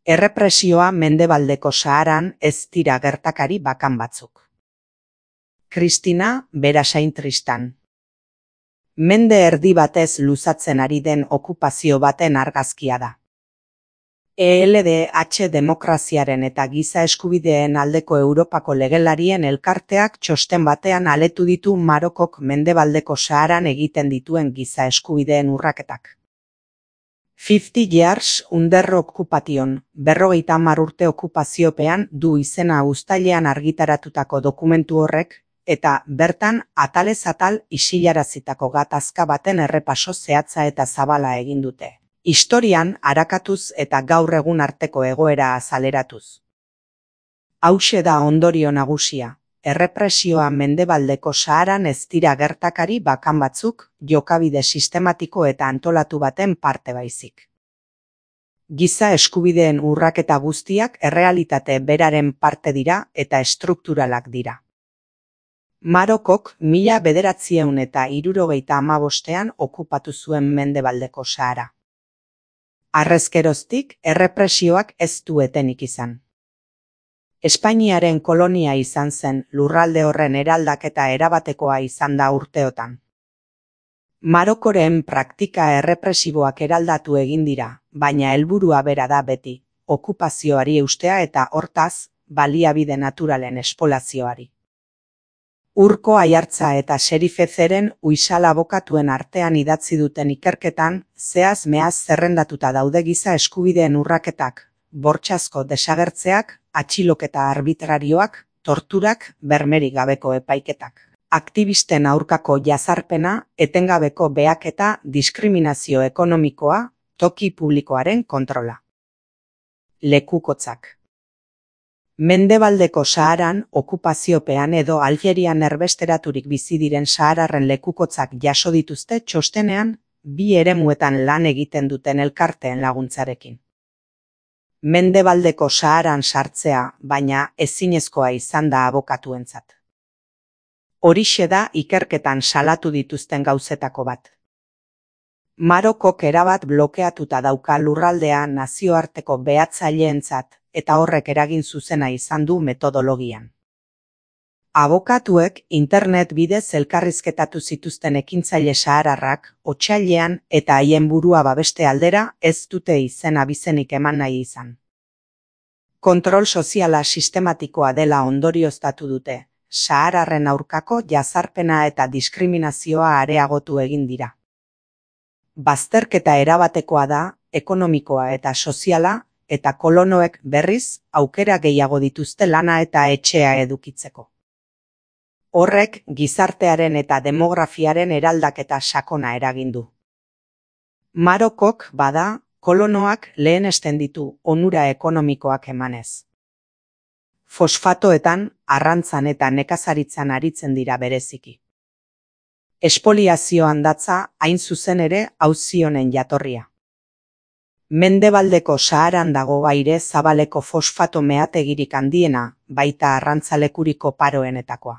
Errepresioa Mendebaldeko Saharan ez dira gertakari bakan batzuk. Kristina Berasain Tristan. Mende erdi batez luzatzen ari den okupazio baten argazkia da. ELDH demokraziaren eta giza eskubideen aldeko Europako legelarien elkarteak txosten batean aletu ditu Marokok Mendebaldeko Saharan egiten dituen giza eskubideen urraketak. 50 Years Under Occupation, 50 urte okupaziopean du izena uztailean argitaratutako dokumentu horrek, eta bertan atalez atal isilarazitako gatazka baten errepaso zehatza eta zabala egin dute. Historian arakatuz eta gaur egun arteko egoera azaleratuz. Hauxe da ondorio nagusia. Errepresioa Mendebaldeko Saharan ez dira gertakari bakan batzuk, jokabide sistematiko eta antolatu baten parte baizik. Giza eskubideen urraketa guztiak errealitate beraren parte dira eta estrukturalak dira. Marokok 1975ean okupatu zuen Mendebaldeko Sahara. Harrezkeroztik errepresioak ez du etenik izan. Espainiaren kolonia izan zen, lurralde horren eraldaketa erabatekoa izan da urteotan. Marokoren praktika errepresiboak eraldatu egin dira, baina helburua bera da beti, okupazioari eustea eta hortaz, baliabide naturalen espolazioari. Urko Aiartza eta Serifezeren Uixal abokatuen artean idatzi duten ikerketan, zehaz mehaz zerrendatuta daude giza eskubideen urraketak, bortxazko desagertzeak, atxiloketa arbitrarioak, torturak, bermerik gabeko epaiketak. Aktivisten aurkako jazarpena, etengabeko behaketa, diskriminazio ekonomikoa, toki publikoaren kontrola. Lekukotzak. Mendebaldeko Saharan, okupaziopean edo Algerian erbesteraturik bizi diren sahararren lekukotzak jaso dituzte txostenean, bi eremuetan lan egiten duten elkarteen laguntzarekin. Mendebaldeko Saharan sartzea, baina ezinezkoa izan da abokatuentzat. Horixe da ikerketan salatu dituzten gauzetako bat. Marokok erabat blokeatuta dauka lurraldea nazioarteko behatzaileentzat eta horrek eragin zuzena izan du metodologian. Abokatuek internet bidez elkarrizketatu zituzten ekintzaile sahararrak otsailean eta haien burua babeste aldera ez dute izen abizenik eman nahi izan. Kontrol soziala sistematikoa dela ondorioztatu dute, sahararren aurkako jazarpena eta diskriminazioa areagotu egin dira. Bazterketa erabatekoa da, ekonomikoa eta soziala, eta kolonoek berriz aukera gehiago dituzte lana eta etxea edukitzeko. Horrek gizartearen eta demografiaren eraldaketa sakona eragin du. Marokok bada, kolonoak lehenesten ditu onura ekonomikoak emanez. Fosfatoetan, arrantzan eta nekazaritzan aritzen dira bereziki. Espoliazioan datza hain zuzen ere auzi honen jatorria. Mendebaldeko Saharan dago aire zabaleko fosfato meategirik handiena, baita arrantzalekuriko paroenetakoa.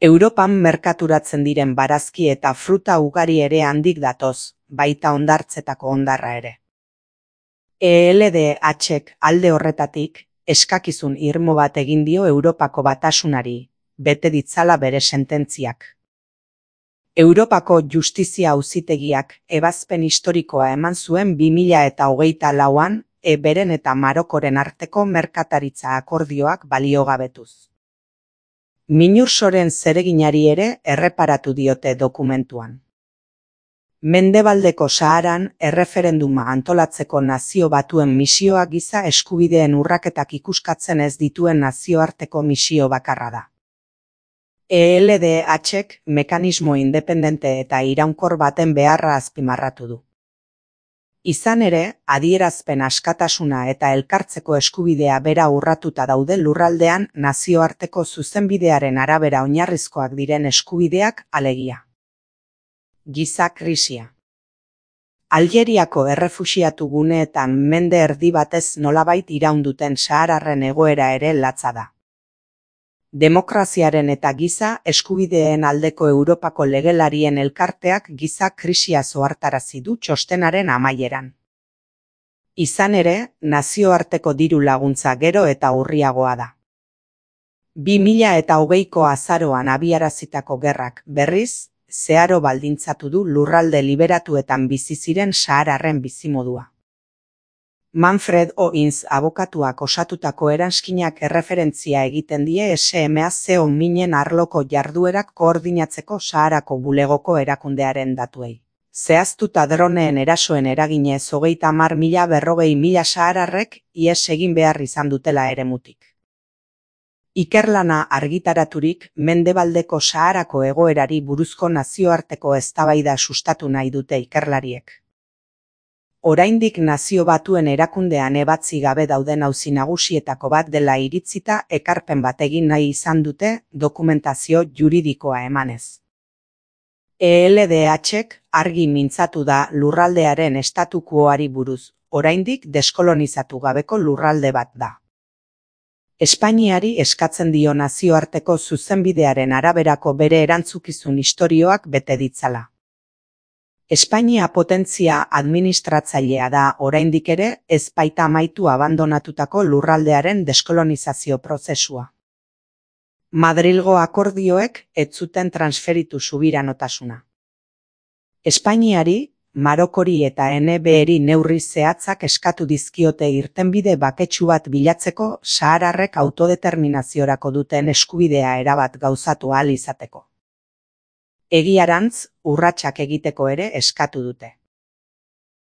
Europan merkaturatzen diren barazki eta fruta ugari ere handik datoz, baita hondartzetako hondarra ere. ELDH-ek alde horretatik, eskakizun irmo bat egin dio Europako Batasunari, bete ditzala bere sententziak. Europako Justizia Auzitegiak ebazpen historikoa eman zuen 2024an beren eta Marokoren arteko merkataritza akordioak baliogabetuz. Minursoren zereginari ere erreparatu diote dokumentuan. Mendebaldeko Saharan erreferenduma antolatzeko Nazio Batuen misioa giza eskubideen urraketak ikuskatzen ez dituen nazioarteko misio bakarra da. ELDH-ek mekanismo independente eta iraunkor baten beharra azpimarratu du. Izan ere, adierazpen askatasuna eta elkartzeko eskubidea bera urratuta daude lurraldean nazioarteko zuzenbidearen arabera oinarrizkoak diren eskubideak alegia. Giza krisia. Algeriako errefuxiatu guneetan mende erdi batez nolabait iraunduten sahararren egoera ere latza da. Demokraziaren eta giza eskubideen aldeko Europako legelarien elkarteak giza krisia zohartarazi du txostenaren amaieran. Izan ere, nazioarteko diru laguntza gero eta urriagoa da. 2020ko azaroan abiarazitako gerrak, berriz, zeharo baldintzatu du lurralde liberatuetan bizi ziren sahararren bizimodua. Manfred Oins abokatuak osatutako eranskinak erreferentzia egiten die SMAC minen arloko jarduerak koordinatzeko Saharako bulegoko erakundearen datuei. Zehaztuta droneen erasoen eraginez 30.000–40.000 sahararrek ihes egin behar izan dutela eremutik. Ikerlana argitaraturik Mendebaldeko Saharako egoerari buruzko nazioarteko eztabaida sustatu nahi dute ikerlariek. Oraindik Nazio Batuen erakundean ebatzi gabe dauden auzi nagusietako bat dela iritzita ekarpen bat egin nahi izan dute dokumentazio juridikoa emanez. ELDH-ek argi mintzatu da lurraldearen estatukuoari buruz, oraindik deskolonizatu gabeko lurralde bat da. Espainiari eskatzen dio nazioarteko zuzenbidearen araberako bere erantzukizun istorioak bete ditzala. Espainia potentzia administratzailea da oraindik ere ez baita amaitu abandonatutako lurraldearen deskolonizazio prozesua. Madrilgo akordioek ez zuten transferitu subiranotasuna. Espainiari, Marokori eta NBeri neurri zehatzak eskatu dizkiote irtenbide baketsu bat bilatzeko sahararrek autodeterminaziorako duten eskubidea erabat gauzatu ahal izateko. Egiarantz, urratsak egiteko ere eskatu dute.